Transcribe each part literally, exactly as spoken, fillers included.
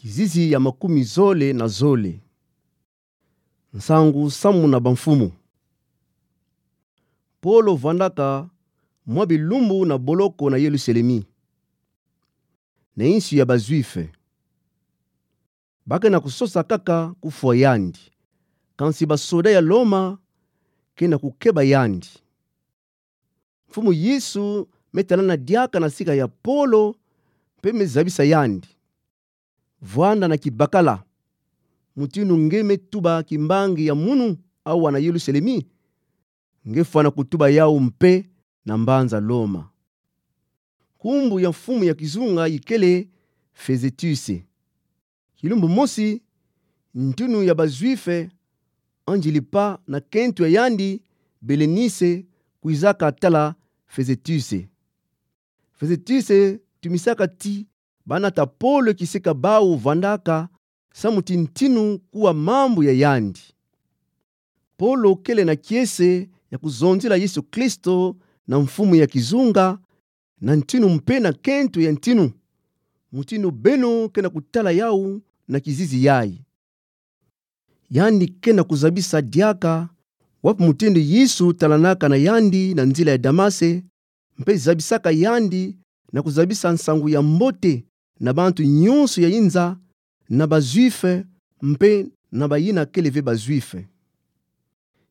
Kizizi ya makumi zole na zole. Nsangu samu na bamfumu. Polo vwandaka mwa bilumbu na boloko na Yelusalemi, na insi ya ba-Juife. Ba ke na kusosa kaka kufwa yandi. Kansi basoda ya Loma ke na kukeba yandi. Mfumu Yesu me talana diaka na sika ya Polo, mpe me zabisa yandi: Vwanda na kibakala. Mutindu nge me tuba kimbangi ya munu awa na Yelusalemi, nge fwana kutuba yawu mpe na mbanza Loma. Nkumbu ya mfumu ya kizunga ikele Fezetuse. Kilumbu mosi, ntinu ya ba-Juife, Angilipa na kento ya yandi, Belenise, kwizaka tala Fezetuse. Fezetuse tumisaka ti banata Polo kisika bawu vwandaka, samu ti ntinu kuwa mambu ya yandi. Polo kele na kiese ya kuzonzila Yesu Kristo na mfumu ya kizunga, na ntinu mpe na kento ya ntinu, mutindu beno ke na kutala yawu na kizizi yayi. Yandi ke na kuzabisa diaka wapi mutindu Yesu talanaka na yandi na nzila ya Damase, mpe zabisaka yandi na kuzabisa nsangu ya mbote na bantu nyonso ya inza, na ba-Juife mpe na bayina kele ve ba-Juife.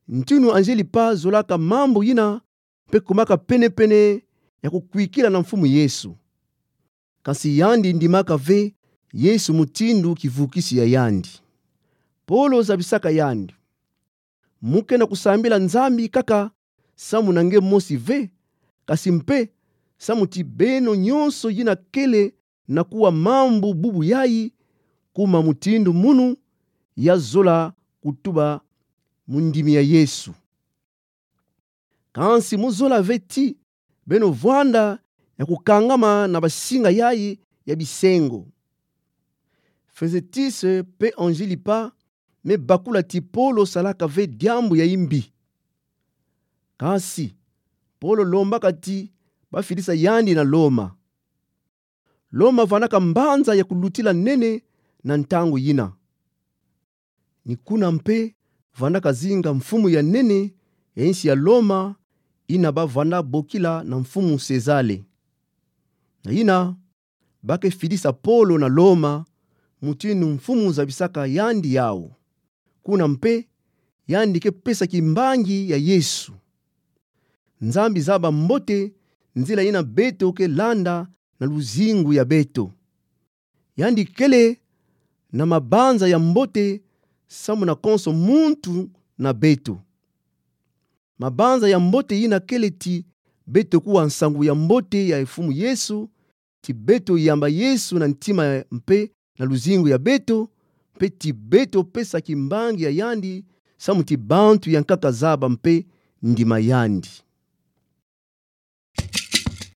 Ntinu Angilipa zolaka mambu yina mpe kumaka pene-pene ya kukwikila na mfumu Yesu. Kansi yandi ndimaka ve Yesu mutindu kivukisi ya yandi. Polo zabisaka yandi: Mu ke na kusambila Nzambi kaka samu na nge mosi ve, kasi mpe samu ti beno nyonso yina kele na kuwa mambu bubu yayi, kuma mutindu munu ya zola kutuba mu ndimi ya Yesu. Kansi mu zola ve ti beno vwanda ya kukangama na basinga yayi ya bisengo. Fezetuse mpe Angilipa me bakula ti Polo salaka ve diambu ya imbi. Kansi Polo lombaka ti bafidisa yandi na Loma. Loma vwandaka mbanza ya kulutila nene na ntangu yina. Ni kuna mpe vwandaka zinga mfumu ya nene ya insi ya Loma, yina ba vwanda bokila na mfumu Sezare. Na yina, ba ke fidisa Polo na Loma, mutindu mfumu zabisaka yandi yawu. Kuna mpe, yandi ke pesa kimbangi ya Yesu. Nzambi zaba mbote nzila yina beto ke landa na luzingu ya beto. Yandi kele na mabanza ya mbote samu na konso muntu na beto. Mabanza ya mbote yina kele ti beto kuwa nsangu ya mbote ya Mfumu Yesu, ti beto yamba Yesu na ntima mpe na luzingu ya beto, mpe ti beto pesa kimbangi ya yandi, samu ti bantu ya nkaka zaba mpe ndima yandi.